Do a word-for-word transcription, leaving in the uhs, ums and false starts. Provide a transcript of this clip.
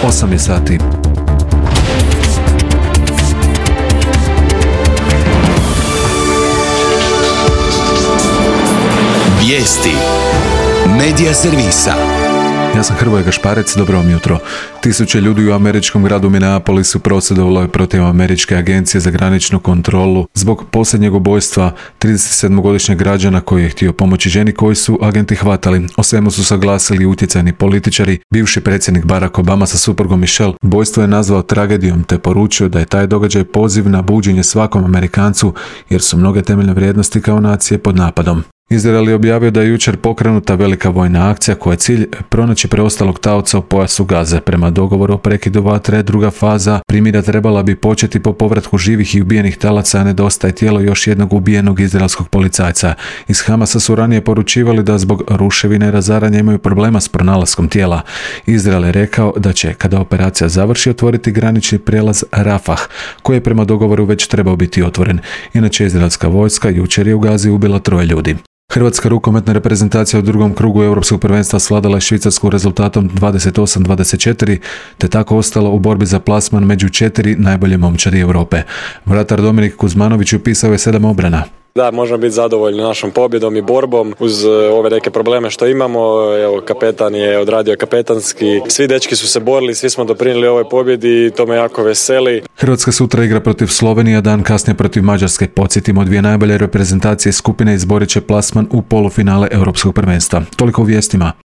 osam je sati. Vijesti Medija servisa. Ja sam Hrvoje Gašparec, dobro vam jutro. Tisuće ljudi u američkom gradu Minneapolisu prosvjedovalo je protiv američke agencije za graničnu kontrolu zbog posljednjeg ubojstva tridesetsedmogodišnjeg građana koji je htio pomoći ženi koju su agenti hvatali. O svemu su saglasili utjecajni političari. Bivši predsjednik Barack Obama sa suprugom Michelle ubojstvo je nazvao tragedijom te poručio da je taj događaj poziv na buđenje svakom Amerikancu jer su mnoge temeljne vrijednosti kao nacije pod napadom. Izrael je objavio da je jučer pokrenuta velika vojna akcija koja je cilj pronaći preostalog taoca u pojasu Gaze. Prema dogovoru o prekidu vatre, druga faza primirja trebala bi početi po povratku živih i ubijenih talaca, a nedostaje tijelo još jednog ubijenog izraelskog policajca. Iz Hamasa su ranije poručivali da zbog ruševine i razaranja imaju problema s pronalaskom tijela. Izrael je rekao da će, kada operacija završi, otvoriti granični prijelaz Rafah, koji je prema dogovoru već trebao biti otvoren. Inače, izraelska vojska jučer je u Gazi ubila troje ljudi. Hrvatska rukometna reprezentacija u drugom krugu Europskog prvenstva svladala je Švicarsku rezultatom dvadeset osam dvadeset četiri, te tako ostala u borbi za plasman među četiri najbolje momčadi Europe. Vratar Dominik Kuzmanović upisao je sedam obrana. Da, možemo biti zadovoljni našom pobjedom i borbom uz ove neke probleme što imamo. Evo, kapetan je odradio kapetanski. Svi dečki su se borili, svi smo doprinijeli ovoj pobjedi i to me jako veseli. Hrvatska sutra igra protiv Slovenije, a dan kasnije protiv Mađarske. Podsjetimo, dvije najbolje reprezentacije skupine izborit će plasman u polufinale Europskog prvenstva. Toliko u vijestima.